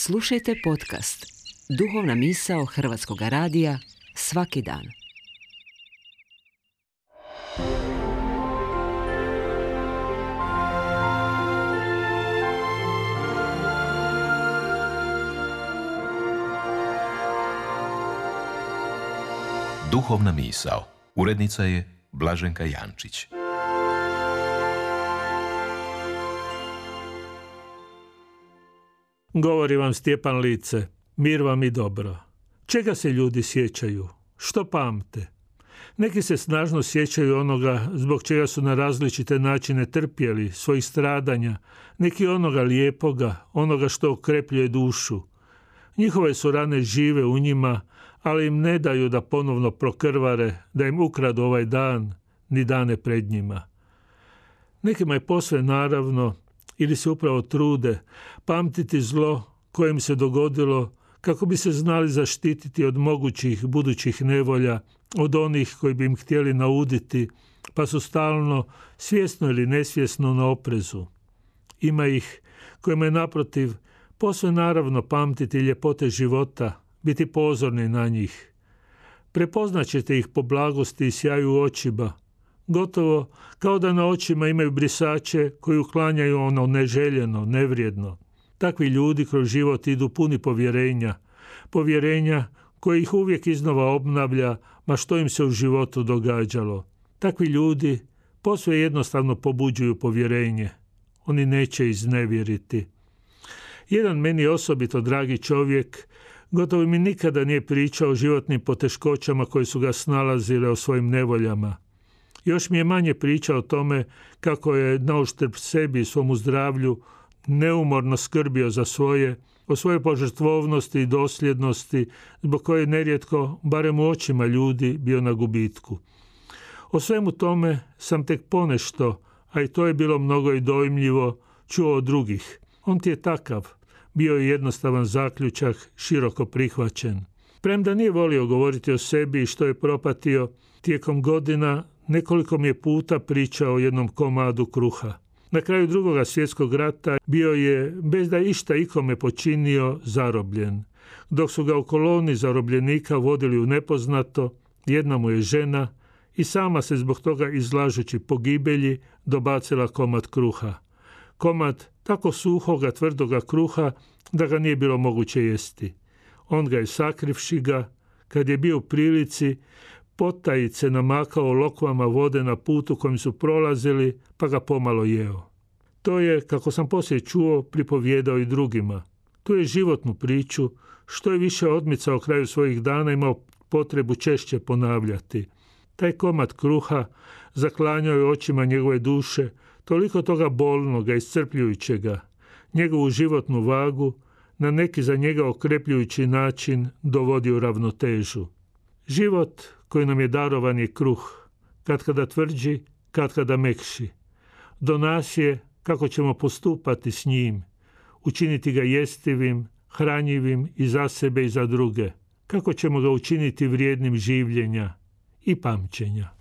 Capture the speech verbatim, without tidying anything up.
Slušajte podcast Duhovna misao Hrvatskog radija svaki dan. Duhovna misao. Urednica je Blaženka Jančić. Govori vam Stjepan Lice, mir vam i dobro. Čega se ljudi sjećaju? Što pamte? Neki se snažno sjećaju onoga zbog čega su na različite načine trpjeli, svojih stradanja, neki onoga lijepoga, onoga što okrepljuje dušu. Njihove su rane žive u njima, ali im ne daju da ponovno prokrvare, da im ukradu ovaj dan, ni dane pred njima. Nekima je posve naravno, ili se upravo trude, pamtiti zlo koje im se dogodilo kako bi se znali zaštititi od mogućih budućih nevolja, od onih koji bi im htjeli nauditi, pa su stalno, svjesno ili nesvjesno, na oprezu. Ima ih kojima je naprotiv posve naravno pamtiti ljepote života, biti pozorni na njih. Prepoznaćete ih po blagosti i sjaju očiba, gotovo kao da na očima imaju brisače koji uklanjaju ono neželjeno, nevrijedno. Takvi ljudi kroz život idu puni povjerenja, povjerenja koje ih uvijek iznova obnavlja, ma što im se u životu događalo. Takvi ljudi posve jednostavno pobuđuju povjerenje. Oni neće iznevjeriti. Jedan meni osobito dragi čovjek gotovo mi nikada nije pričao o životnim poteškoćama koje su ga snalazile, o svojim nevoljama. Još mi je manje pričao o tome kako je nauštrb sebi i svomu zdravlju neumorno skrbio za svoje, o svojoj požrtvovnosti i dosljednosti, zbog koje je nerijetko, barem u očima ljudi, bio na gubitku. O svemu tome sam tek ponešto, a i to je bilo mnogo i dojmljivo, čuo od drugih. On ti je takav, bio je jednostavan zaključak, široko prihvaćen. Premda nije volio govoriti o sebi i što je propatio, tijekom godina nekoliko mi je puta pričao o jednom komadu kruha. Na kraju Drugoga svjetskog rata bio je, bez da išta ikome počinio, zarobljen. Dok su ga u koloni zarobljenika vodili u nepoznato, jedna mu je žena i sama se zbog toga, izlažući pogibelji, dobacila komad kruha. Komad tako suhoga, tvrdoga kruha da ga nije bilo moguće jesti. On ga je, sakrivši ga, kad je bio u prilici, potajice namakao lokvama vode na putu kojim su prolazili, pa ga pomalo jeo. To je, kako sam poslije čuo, pripovjedao i drugima. Tu je životnu priču, što je više odmicao kraju svojih dana, imao potrebu češće ponavljati. Taj komad kruha zaklanjao je očima njegove duše toliko toga bolnoga, iscrpljujućega, njegovu životnu vagu na neki za njega okrepljujući način dovodi u ravnotežu. Život koji nam je darovan je kruh, katkada tvrđi, katkada mekši. Do nas je kako ćemo postupati s njim, učiniti ga jestivim, hranjivim i za sebe i za druge, kako ćemo ga učiniti vrijednim življenja i pamćenja.